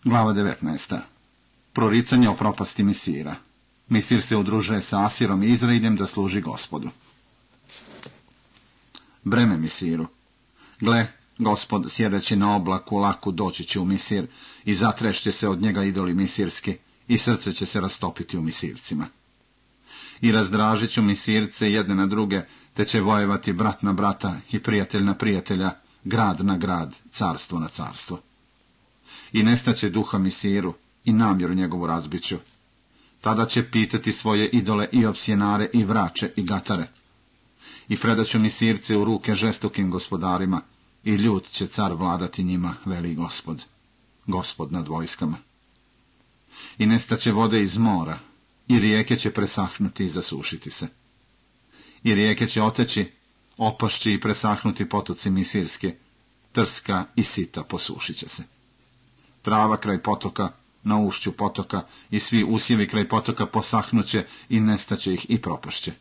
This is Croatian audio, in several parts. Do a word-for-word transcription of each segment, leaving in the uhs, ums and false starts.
Glava devetnaesta. Proricanje o propasti Misira. Misir se udružuje sa Asirom i Izraeljem da služi Gospodu. Breme Misiru. Gle, Gospod sjedeći na oblaku laku doći će u Misir i zatrešće se od njega idoli misirski i srce će se rastopiti u Misircima. I razdražit ću Misirce jedne na druge, te će vojevati brat na brata i prijatelj na prijatelja, grad na grad, carstvo na carstvo. I nestaće duha Misiru i namjeru njegovu razbiću. Tada će pitati svoje idole i opsjenare i vrače i gatare. I predaću Misirce u ruke žestokim gospodarima i ljut će car vladati njima, veli Gospod, Gospod nad vojskama. I nestaće vode iz mora i rijeke će presahnuti i zasušiti se. I rijeke će oteći, opašći i presahnuti potoci Misirske, trska i sita posušit će se. Trava kraj potoka, na ušću potoka i svi usjevi kraj potoka posahnuće i nestaće ih i propašće.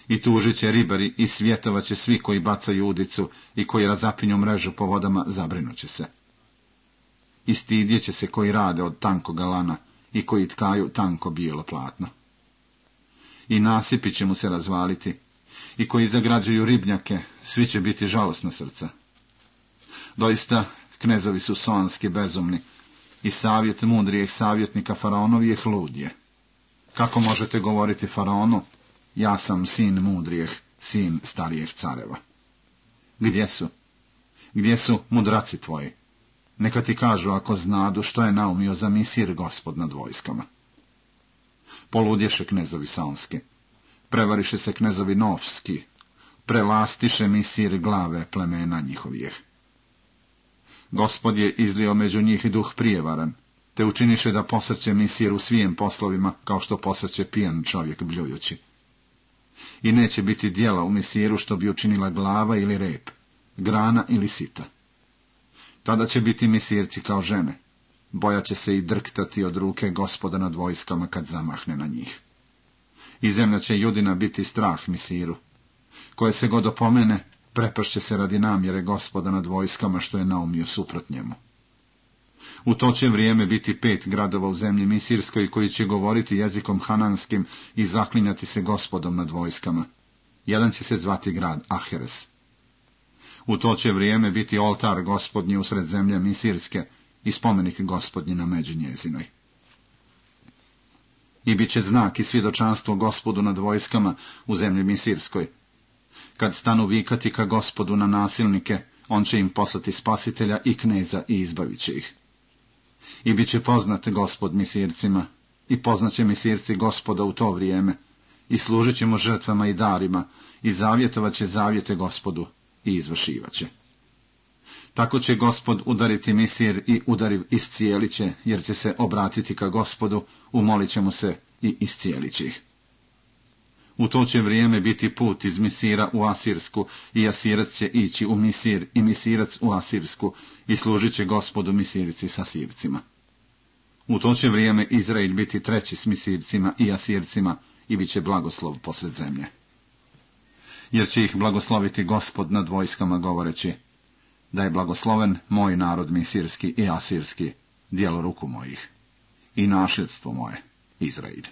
I tužit će ribari i svjetovaće svi koji bacaju udicu i koji razapinju mrežu po vodama, zabrinuće se. I stidjet će se koji rade od tankoga lana i koji tkaju tanko bijelo platno. I nasipi će mu se razvaliti, i koji zagrađuju ribnjake, svi će biti žalosna srca. Doista, knezovi su sonski bezumni, i savjet mudrijeg savjetnika faraonovijeh ludje. Kako možete govoriti faraonu, ja sam sin mudrijeh, sin starijeg careva? Gdje su? Gdje su mudraci tvoji? Neka ti kažu ako znadu što je naumio za Misir Gospod nad vojskama. Poludješe knezovi saonski, prevariše se knezovi novski, prelastiše Misir glave plemena njihovijeh. Gospod je izlio među njih duh prijevaran, te učiniše da posrće Misir u svijem poslovima, kao što posrće pijan čovjek bljujući. I neće biti djela u Misiru što bi učinila glava ili rep, grana ili sita. Tada će biti Misirci kao žene, bojat će se i drktati od ruke Gospoda nad vojskama kad zamahne na njih. I zemlja će Judina biti strah Misiru. Koje se god opomene, prepašće se radi namjere Gospoda nad vojskama što je naumio suprot njemu. U to će vrijeme biti pet gradova u zemlji Misirskoj koji će govoriti jezikom hananskim i zaklinjati se Gospodom nad vojskama. Jedan će se zvati grad Aheres. U to će vrijeme biti oltar Gospodnji usred zemlje Misirske i spomenik Gospodnji na međi njezinoj. I bit će znak i svjedočanstvo Gospodu nad vojskama u zemlji Misirskoj. Kad stanu vikati ka Gospodu na nasilnike, on će im poslati spasitelja i kneza i izbavit će ih. I bit će poznat Gospod Misircima, i poznaće Misirci Gospoda u to vrijeme, i služit će mu žrtvama i darima, i zavjetovat će zavjete Gospodu, i izvršivat će. Tako će Gospod udariti Misir i udariv iscijelit će, jer će se obratiti ka Gospodu, umolit će mu se i iscijelit će ih. U to će vrijeme biti put iz Misira u Asirsku, i Asirac će ići u Misir, i Misirac u Asirsku, i služit će Gospodu Misirci s Asircima. U to će vrijeme Izrael biti treći s Misircima i Asircima, i bit će blagoslov posred zemlje. Jer će ih blagosloviti Gospod nad vojskama govoreći, da je blagosloven moj narod Misirski i Asirski, djelo ruku mojih, i nasljedstvo moje, Izrael.